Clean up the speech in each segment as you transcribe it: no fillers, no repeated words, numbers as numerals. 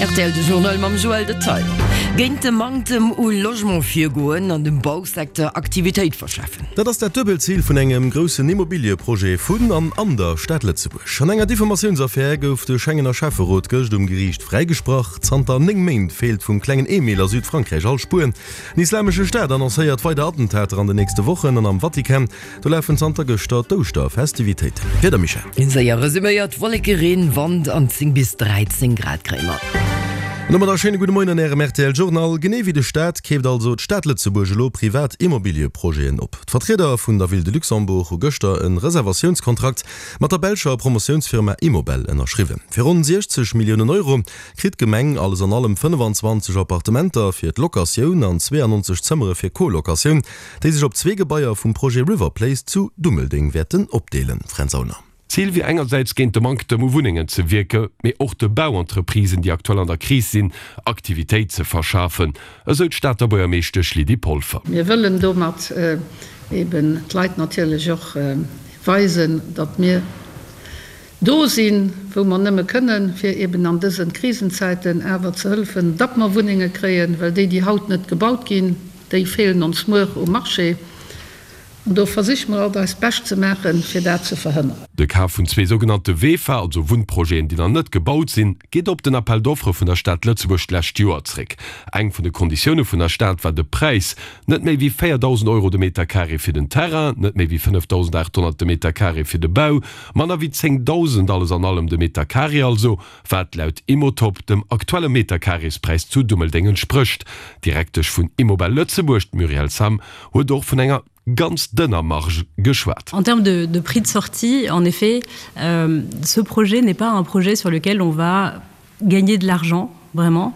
Rtl de Journal mam Joël Detail. Géint de Manktem u Logement virgoen an dem Bausecteur Aktivitéit verschafen. Dat ass dat duebelt Zil vun engem groussen Immobilieprojet vun an an der Stad Lëtzebuerg. An enger Diffamatiounsaffär gouf de Schengener Schäfferot gëscht um Geriicht fräigesprach. Zanter 9 Méint feelt vum klengen Emil a Südfrankräich all Spuer. Den Islamesche Staat annoncéiert weider Attentater an den nächste Wochen an am Vatikan Do lafen zanter gëschter d'Ouschterfestivitéiten. Wieder Michèle. Séier resuméiert, Wolleke, Reen, Wand an 10 bis 13 Grad kréie mer. An domat a schéine gudde Moien an Ärem rtl Journal. Genee wéi de Staat keeft also d'Stad Lëtzebuerg elo privat Immobilieprojeten op. D'Vertrieder vun der Ville de Luxembourg hu gëschter e Reservatiounskontrakt mat der belscher Promotiounsfirma Immobel ënnerschriwwen. Fir ronn 60 Milliounen Euro kritt d'Gemeng alles an allem 25 Appartementer fir d'Locatioun an 92 Zëmmere fir Co-Locatioun. déi sech op zwee Gebaier vum Projet River Place zu Dummeldeng wäerten opdeelen. Fränz Aulner. Zil wier engersäits géint de Manktem u Wunnengen ze wierke, mee och de Bauentreprisen, déi aktuell an der Kris sinn, Aktivitéit ze verschafen, esou d'Stater Buergermeeschtesch Lydie Polfer. Mir wëllen domat eben d'Leit natierlech och weisen, datt mir do sinn, wou mer nëmme kënnen, fir eben an dëse Krisenzäiten awer ze hëllefen, datt mer Wunnenge kréien, well déi, déi haut net gebaut ginn, Déi feelen ons muer um Marché an do versiche mer alt eist Bescht ze maachen, fir dat ze verhënneren. De Kaf vun zwee sougenannte VEFA, also Wunnprojeten, déi nach net gebaut sinn, geet op den Appel d'offres vun der Stad Lëtzebuerg d'lescht Joer zréck. Eng vun de Konditioune vun der Stad war de Präis, net méi wéi 4.000 Euro de Meter carré fir den Terrain, net méi wéi 5.800 de Meter carré fir de Bau, manner wéi 10.000 alles an allem de Meter carré also. wat laut Immotop dem aktuelle Meterkarreespräis zu Dummeldeng entsprécht. D'Direktesch vun Immobel Lëtzebuerg, d'Muriel Sam, huet och vun enger ganz dënner Marge geschwat. En termes de prix de sortie, en effet, ce projet n'est pas un projet sur lequel on va gagner de l'argent, vraiment.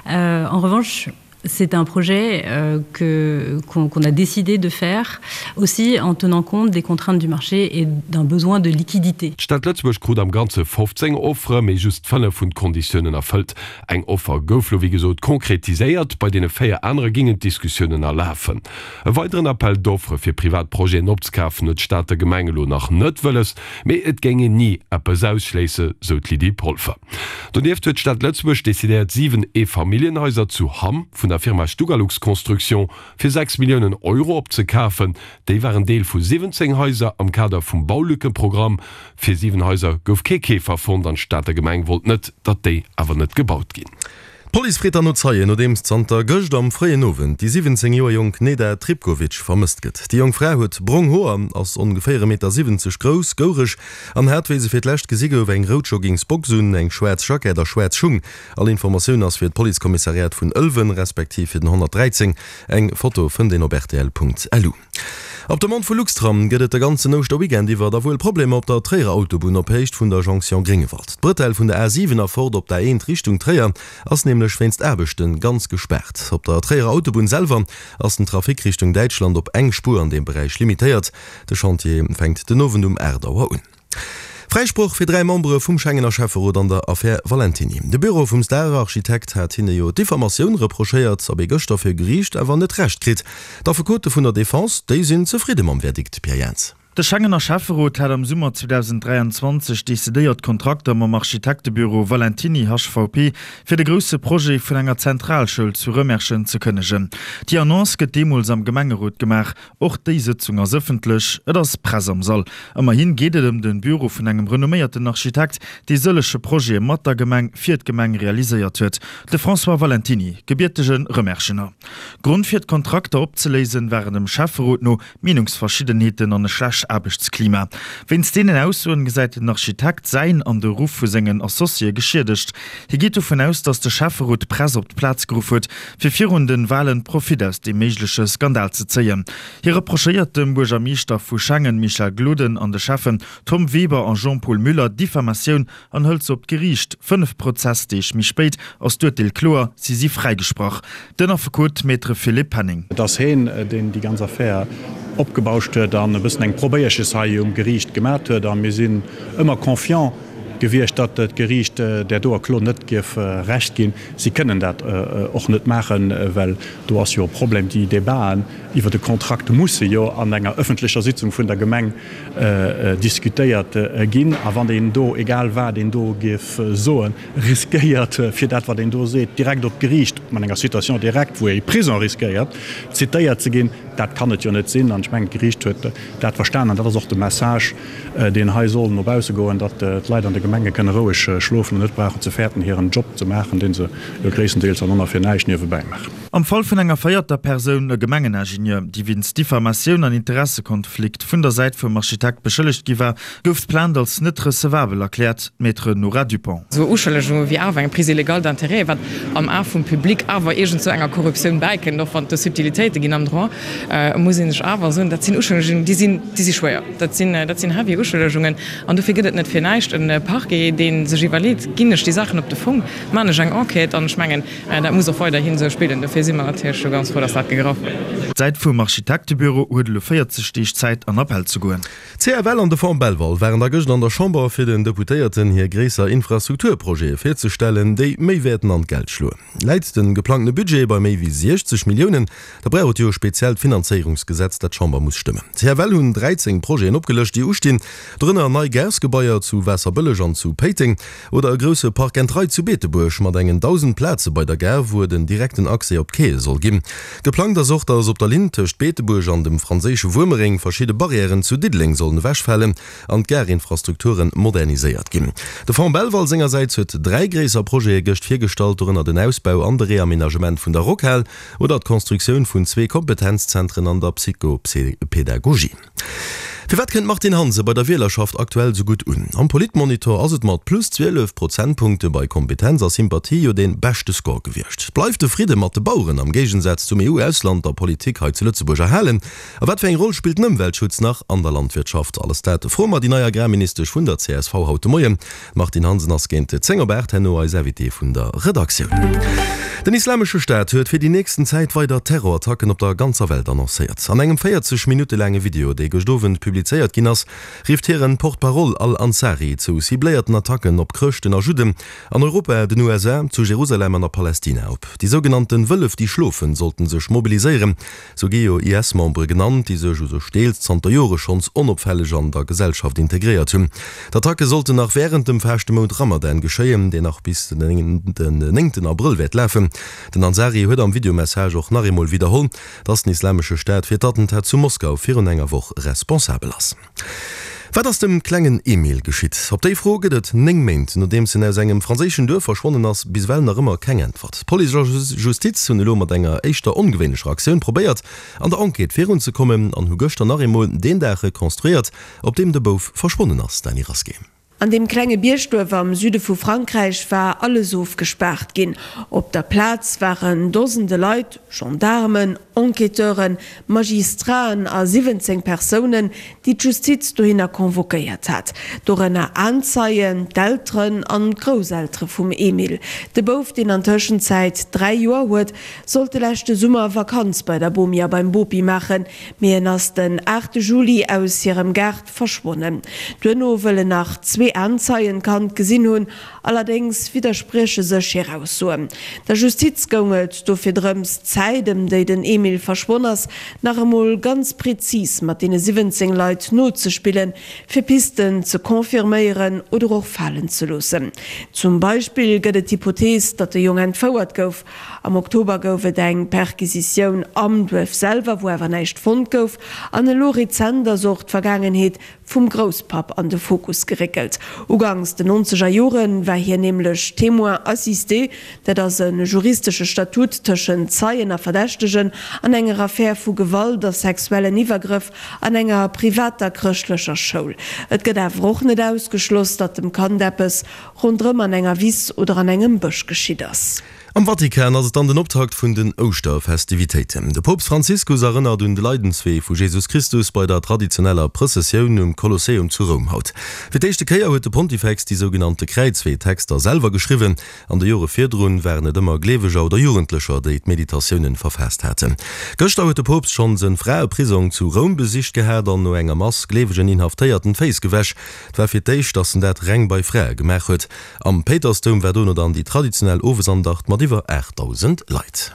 En revanche, C'est un projet euh, que, qu'on, qu'on a décidé de faire aussi en tenant compte des contraintes du marché et d'un besoin de liquidité. D'Stad Lëtzebuerg krut am Ganze 15 Offere, mee just 5 hunn d'Konditiounen erfëllt. Eng Offer gouf lo wéi gesot konkretiséiert, bei deene 4 anere gingen d'Diskussiounen nach lafen. E weideren Appel d'offres fir privat Projeten opzekafen huet d'Stater Gemeng elo nach net wëlles, mee et géing een ni eppes ausschléisse, sou d'Lydie Polfer. Donieft huet d'Stad Lëtzebuerg decidéiert 7 Eefamilljenhaiser zu Hamm vun der Firma Stugalux Construction fir 6 Milliounen Euro opzekafen. Déi waren Deel vu 17 Haiser am Kader vum Baulückeprogramm. Fir 7 Haiser gouf kee Keefer fonnt an d'Stater Gemeng wollt net, datt déi awer net gebaut ginn. D'Police freet dann no Zeien, nodeems zanter gëscht am fréien Owend déi 17 Joer jonk Neda Tripkovic vermësst gëtt. Déi jonk Fra huet brong Hoer, ass ongeféier e Meter 70 grouss, goureg an hat, wéi se fir d'lescht gesi gouf, eng rout Joggingsbox un, eng schwaarz Jackett a schwaarz Schung. All Informatioun ass fir d'Policekommissariat vun Ëlwen, respektiv fir den 113. Eng Foto fënnt een op rtl.lu. Op Demande vu Luxtram gëtt et de ganzen Ouschterweekend iwwer da wuel Problemer op der Tréierer Autobunn op Héicht vun der Jonction Gréngewald. D'Bretelle vun der A7 a fort op d'A1 Richtung Tréier ass nämlech wéinst Aarbechte ganz gespaart. Op der Tréierer Autobunn selwer ass den Trafic Richtung Däitschland op eng Spuer an deem Beräich limitéiert. De Chantier fänkt den Owend um 8 Auer un. Fräisproch fir 3 Membere vum Schengener Schäfferot an der Affär Valentiny. De Büro vum Star-Architekt hat hinne jo Diffamatioun reprochéiert, op ee gëschter vir Geriicht awer net Recht kritt. D'Affekote vun der Defense, déi sinn zefridde mam Verdikt, Pierre Jans. De Schengener Schäfferot hat am Summer 2023 decidéiert d'Kontrakter mam Architektebüro Valentiny HVP fir de grousse Projet vun enger Zentralschoul zu Rëmerschen ze kënnegen. Déi Annonce gëtt deemools am Gemengerot gemaach. Och déi Sëtzung ass ëffentlech, et ass Press am Sall. Ëmmerhin geet et ëm de Büro vun engem renomméierten Architekt, dee sëllege Projete mat der Gemeng, fir d'Gemeng realiséiert huet, de François Valentiny, gebiertege Rëmerschener. Grond fir d'Kontrakter opzeléisen, waren dem Schäfferot no Meenungsverschiddenheeten an e schlecht Aarbechtsklima. Wéinst deenen Aussoen gesäit den Architekt säin an de Ruff vu sengen Associéë geschiedegt. Hie geet dovun aus, datt de Schäfferot d'Press op d'Plaz geruff huet, fir virun den Walen Profit aus deem méigleche Skandal ze zéien. Hie reprochéiert dem Buergermeeschter vu Schengen Michel Gloden an de Schäffen Tom Weber a Jean-Paul Müller Diffamatioun an hëlt se op d'Geriicht. 5 Prozessdeeg méi spéit ass d'Urteel kloer, si si fräigesprach. Den Affekot Maître Philippe Penning. Et ass heen, deen déi ganz Affär opgebauscht huet an e bëssen eng Probéierches hei um Geriicht gemat huet. A mir sinn ëmmer confiant. gewiescht, datt d'Geriicht där doer Klo net géif Recht ginn. Si kënnen dat och net maachen, well do ass jo e Problem, déi Debaten iwwer de Kontrakt musse jo an enger ëffentlecher Sitzung vun der Gemeng diskutéiert ginn. A wann een do, egal wat een do géif soen, riskéiert, fir dat wat een do seet, direkt op d'Geriicht, mat enger Citation directe, wou ee Prison riskéiert, zitéiert ze ginn, dat kann et jo net sinn. An ech mengen, d'Geriicht huet dat verstanen. An dat ass och de Message, deen hei soll no bausse goen, datt d'Leit an de Gemenge kënne roueg schlofen an net brauchen ze fäerten, hiren Job ze maachen, dee se jo gréisstendeels dann och nach fir näischt niewebäi maachen. Am Fall vun enger véierter Persoun, e Gemengeningenieur, déi wéinst Diffamatioun an Interessekonflikt vun der Säit vum Architekt beschëllegt gi war, gouf d'Plainte als net recevabel erkläert, d'Maître Nora Dupont. Esou Uschëllegunge wéi awer eng Prise illégale d'intérêts, wat am A vum Public awer iergend sou enger Korruptioun bäikënnt, och wann et do Subtilitéite ginn am Droit, muss ee sech awer soen, dat sinn Uschëllegungen, déi sinn, déi si schwéier. Dat sinn, dat sinn heavy Uschëllegungen. An dofir gëtt et net fir näischt e Parquet, dee sech iwwerleet, Ginn ech déi Saachen op de Fong, maan ech eng Enquête? An ech mengen, dat muss och weiderhin esou spillen. Dofir si mer natierlech do ganz frou, dass dat gegraff huet. D'Säit vum Architektebüro huet elo 40 Deeg Zäit, an Appell ze goen. D'CFL an de Fonds Belval waren da gëscht an der Chamber, fir den Deputéierten hir gréisser Infrastrukturprojete virzestellen, déi méi wäerten an d'Geld schloen. Läit de geplangtene Budget bei méi wéi 60 Milliounen, da brauch et jo e speziellt Finanzéierungsgesetz, dat d'Chamber muss stëmmen. D'CFL hunn 13 Projeten opgelëscht, déi ustinn, dorënner nei Garesgebaier zu Waasserbëlleg an zu Péiteng oder e grousse Park and Ride zu Beetebuerg mat engen 1.000 Plaze bei der Gare, wou et en direkten Accès op d'Quaie soll ginn. Geplangt ass och, datt op der Linn tëscht Beetebuerg an dem franséische Wuermereng verschidde Barrièren zu Diddeleng sollen ewechfalen an d'Gareinfrastrukture moderniséiert ginn. De Fonds Belval sengersäits huet 3 gréisser Projete gëscht virgestallt, dorënner den Ausbau an de Reamenagement vun der Rockhal oder d'Constructioun vun zwee Kompetenzzentren an der Psychopedagogie. Firwat kënnt d'Martine Hansen bei der Wielerschaft aktuell sou gutt un? Am Politmonitor ass et mat plus 12 Prozentpunkte bei Kompetenz a Sympathie jo dee beschte Score gewiescht. Bleift de Fridde mat de Baueren am Géigensaz zum EU-Ausland der Politik hei zu Lëtzebuerg erhalen? A wat fir eng Roll spillt den Ëmweltschutz nach an der Landwirtschaft? Alles dat froe mer déi nei Agrarministesch vun der csv haut de Moien. D'Martine Hansen ass géint 10 op 8 herno eis Invitée vun der Redaktioun. Den Islamesche Staat huet fir déi nächsten Zäit weider Terrorattacken op der ganzer Welt annoncéiert. An engem 40 Minutte laange Video, dee gëscht Owend publizéiert ginn ass, rifft hiren Porte-parole Al-Ansari zu cibléierten Attacken op Chrëschten a Judden an Europa, den USA, zu Jerusalem an a Palästina op. Déi sougenannten Wëllef déi schlofen sollten sech mobiliséieren. Sou gi jo IS-Membere genannt, déi sech u sech deels zanter Jore schonns onopfälleg an der Gesellschaft integréiert hunn. D'Attacke sollten nach wärend dem Faaschtemount Ramadan geschéien, deen nach bis den néngten Abrëll wäert lafen. Den Ansari huet am Videomessage och nach eemol widderholl, dass den Islamesche Staat fir d'Attentat zu Moskau virun enger Woch responsabel ass. Wat ass dem klengen Emile geschitt? Op déi Fro gëtt et 9 Méint, nodeems en aus engem franséischen Duerf verschwonnen ass, bis ewell nach ëmmer keng Äntwert. Police a Justiz hunn elo mat enger éischter ongewéinlecher Aktioun probéiert, an der Enquête virunzekommen an hu gëschter nach eemol deen Dag rekonstruéiert, op deem de Bouf verschwonnen ass. Dany Rasqué. An deem klenge Biergduerf am Süde vu Frankräich war alles ofgespaart ginn. Op der Plaz waren Dosende Leit, Gendaarmen, Enquêteuren, Magistraten a 17 Persounen, déi d'Justiz dohinner convoquéiert hat. Dorënner Aenzeien, d'Elteren an d'Grousseltere vum Emile. De Bouf, deen an Tëschenzäit 3 Joer huet, sollt de leschte Summer Vakanz bei der Bomi a beim Bopi maachen, mee en ass den 8 Juli aus hirem Gaart Verschwonnen. Duerno wëllen nach zwee Aenzeien d'Kand gesinn hunn, allerdéngs widdersprieche sech hir Aussoen. Der Justiz goung et dofir drëms, d'Zäit, ëm déi den Emile verschwonn ass, nach emol ganz prezis mat deene 17 Leit nozespillen, fir Pisten ze confirméieren oder och falen ze loossen. Zum Beispill gëtt et d'Hypothees, datt de Jong entfouert gouf. Am Oktober gouf et eng Perquisitioun am Duerf selwer, wou awer näischt fonnt gouf. An elo rezent ass och d'Vergaangenheet vum Grousspapp an de Fokus geréckelt. Uganks den nonzeger Jore war hien nämlech Témoin assisté, dat ass e juristesche Statut tëschent Zeien a Verdächtegen, an enger Affär vu Gewalt a sexuellen Iwwergrëff an enger privater chrëschtlecher Schoul. Et gëtt awer och net ausgeschloss, datt dem Kand eppes ronderëm an enger Wiss oder an engem Bësch geschitt ass. Am Vatikan ass et dann den Optakt vun den Ouschterfestivitéiten. De Poopst Franziskus erënnert un de Leidenswee vu Jesus Christus bei der traditioneller Prëssessioun um Kolosseum zu Roum haut. Fir d'éischte Kéier huet de Pontifex déi sougenannte Kräizwee-Texter selwer geschriwwen. An de Jore virdrun waren et ëmmer Gleeweger oder Jugendlecher, déi d'Meditatiounen verfaasst haten. Gëschter huet de Poopst schonns en Fraeprisong zu Roum besicht gehat an no enger Mass gleewegen Inhaftéierten d'Féiss gewäsch. Et war fir d'éischt, datt en dat reng bei Frae gemaach huet. Am Péitersdoum war dono dann déi traditionell Owesandacht mat iwwer 8.000 Leit.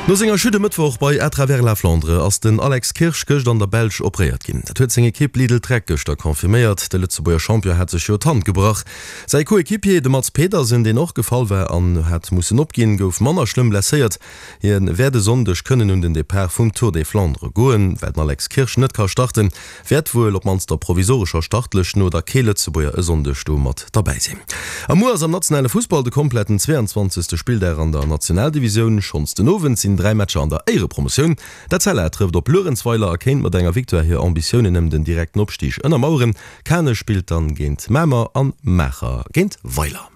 No senger Chute e Mëttwoch bei À travers la Flandre ass den Alex Kirsch gëscht an der Belsch operéiert ginn. Dat huet seng Ekipp Lidl-Trek gëschter confirméiert. De Lëtzebuerger Champion hat sech jo d'Hand gebrach. Säi Coequipier, de Mads Pedersen, deen och gefall war an hat mussen opginn, gouf manner schlëmm blesséiert. Hie wäert e Sonndeg kënnen un den Depart vum Tour des Flandres goen. Well den Alex Kirsch net ka starten, Wäert wuel op mannst der provisorescher Startlëscht no da kee Lëtzebuerger e Sonndeg do mat derbäi sinn. A muer ass am nationale Fussball de kompletten 22. Spilldag an der Nationaldivisioun. Schonns den Owend sinn 3 Matcher an der Éierepromotioun. D'Etzella trëfft op Luerenzweiler a kéint mat enger Victoire hir Ambitiounen ëm den direkten Opstig ënnermaueren. Kanech spillt dann géint Mamer an Maacher géint Weiler.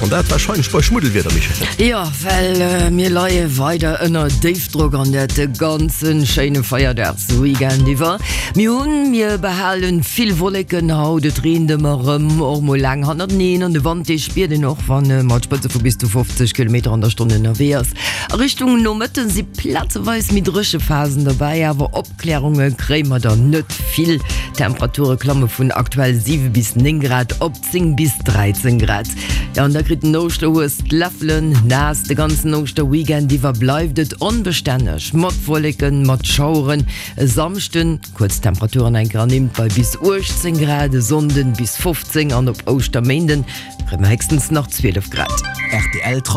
An dat warscheinlech bei Schmuddelwieder, Michèle. Jo, well mir leie weider ënner Déifdrock an dat de ganze schéine Feierdagsweekend iwwer. Mir hunn, mir behalen vill Wolleken haut, et reent ëmmer erëm, och mol laang hannerteneen an de Wand dee spiert een och, wann e mat Spëtze vu bis zu 50 Kilometer an der Stonn ënnerwee ass. A Richtung Nomëtten si plazeweis méi dréche Phasen dobäi, awer op. Opklärunge kréie mer der net vill. D'Temperature klamme vun aktuell 7 bis 9 Grad op 10 bis 13 Grad. Jo, an da kritt den Ouschterhues d'Läffelen naass. De ganzen Ouschterweekend iwwer bleift et onbestänneg mat Wolleken, mat Schaueren. E Samschden kuerz d'Temperaturen eng Kéier ernimmt bei bis 18 Grad, e Sonnden bis 15 an op Ouschterméinden kréie mer héchstens nach 12 Grad. Rtl.